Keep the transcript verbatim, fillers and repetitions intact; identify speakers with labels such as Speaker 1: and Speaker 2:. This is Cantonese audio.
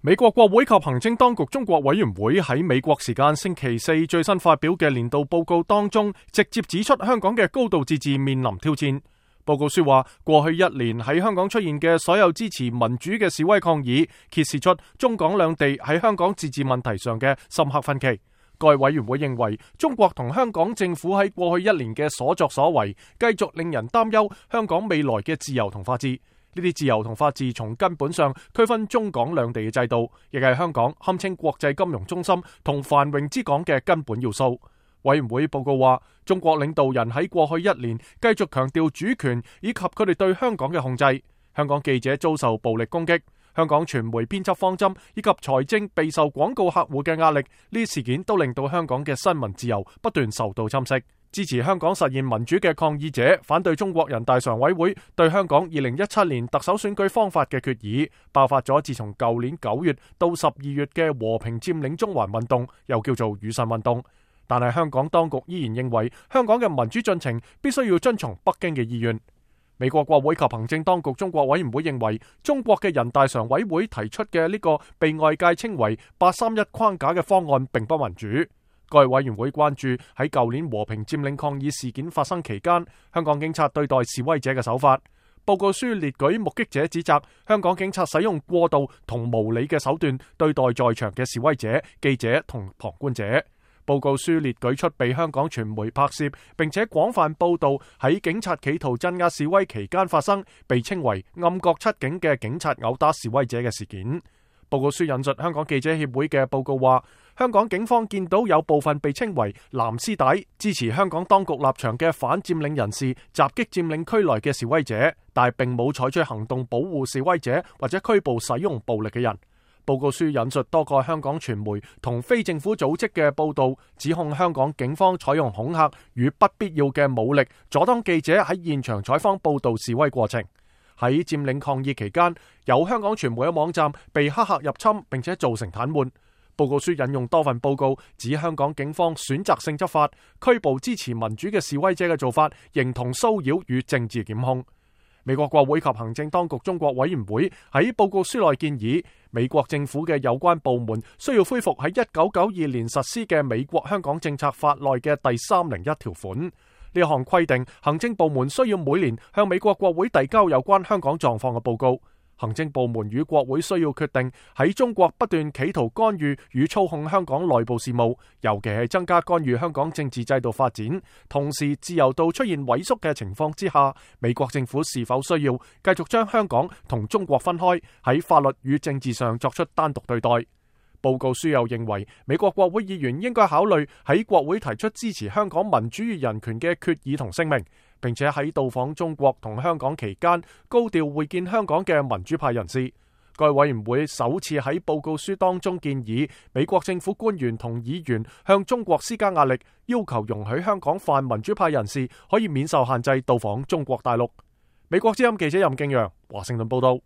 Speaker 1: 美國國會及行政當局中國委員會喺美國時間星期四最新發表嘅年度報告當中，直接指出香港嘅高度自治面臨挑戰。報告書話，過去一年喺香港出現嘅所有支持民主嘅示威抗議，揭示出中港兩地喺香港自治問題上嘅深刻分歧。該委員會認為，中國同香港政府喺過去一年嘅所作所為，繼續令人擔憂香港未來嘅自由同法治。呢啲自由同法治從根本上區分中港兩地嘅制度，亦係香港堪稱國際金融中心同繁榮之港嘅根本要素。委員會報告話，中國領導人喺過去一年繼續強調主權以及佢哋對香港嘅控制。香港記者遭受暴力攻擊，香港傳媒編輯方針以及財政備受廣告客戶嘅壓力，呢啲事件都令到香港嘅新聞自由不斷受到侵蝕。支持香港實現民主嘅抗議者反對中國人大常委會對香港二零一七年特首選舉方法嘅決議，爆發咗自從舊年九月到十二月嘅和平佔領中環運動，又叫做雨傘運動。但係香港當局依然認為香港嘅民主進程必須要遵從北京嘅意願。美國國會及行政當局中國委員會認為，中國嘅人大常委會提出嘅呢個被外界稱為八三一框架嘅方案並不民主。該委員會關注喺舊年和平佔領抗議事件發生期間，香港警察對待示威者嘅手法。報告書列舉目擊者指責香港警察使用過度同無理嘅手段對待在場嘅示威者、記者同旁觀者。報告書列舉出被香港傳媒拍攝並且廣泛報道喺警察企圖鎮壓示威期間發生，被稱為暗角七警嘅警察毆打示威者嘅事件。報告書引述香港記者協會嘅報告話，香港警方見到有部分被稱為藍絲帶支持香港當局立場嘅反佔領人士襲擊佔領區內嘅示威者，但係並冇採取行動保護示威者或者拘捕使用暴力嘅人。報告書引述多個香港傳媒同非政府組織嘅報道，指控香港警方採用恐嚇與不必要嘅武力，阻擋記者喺現場採訪報道示威過程。喺佔領抗議期間，有香港傳媒嘅網站被黑客入侵，並且造成癱瘓。報告書引用多份報告，指香港警方選擇性執法，拘捕支持民主嘅示威者嘅做法，形同騷擾與政治檢控。美國國會及行政當局中國委員會喺報告書內建議，美國政府嘅有關部門需要恢復喺一九九二年實施嘅美國香港政策法內嘅第三零一條款。呢項規定，行政部門需要每年向美國國會遞交有關香港狀況嘅報告。行政部門與國會需要決定喺中國不斷企圖干預與操控香港內部事務，尤其係增加干預香港政治制度發展，同時自由度出現萎縮嘅情況之下，美國政府是否需要繼續將香港同中國分開，喺法律與政治上作出單獨對待。報告書又認為，美國國會議員應該考慮喺國會提出支持香港民主與人權嘅決議同聲明，並且喺到訪中國同香港期間高調會見香港嘅民主派人士。該委員會首次喺報告書當中建議美國政府官員同議員向中國施加壓力，要求容許香港泛民主派人士可以免受限制到訪中國大陸。美國之音記者任敬陽華盛頓報道。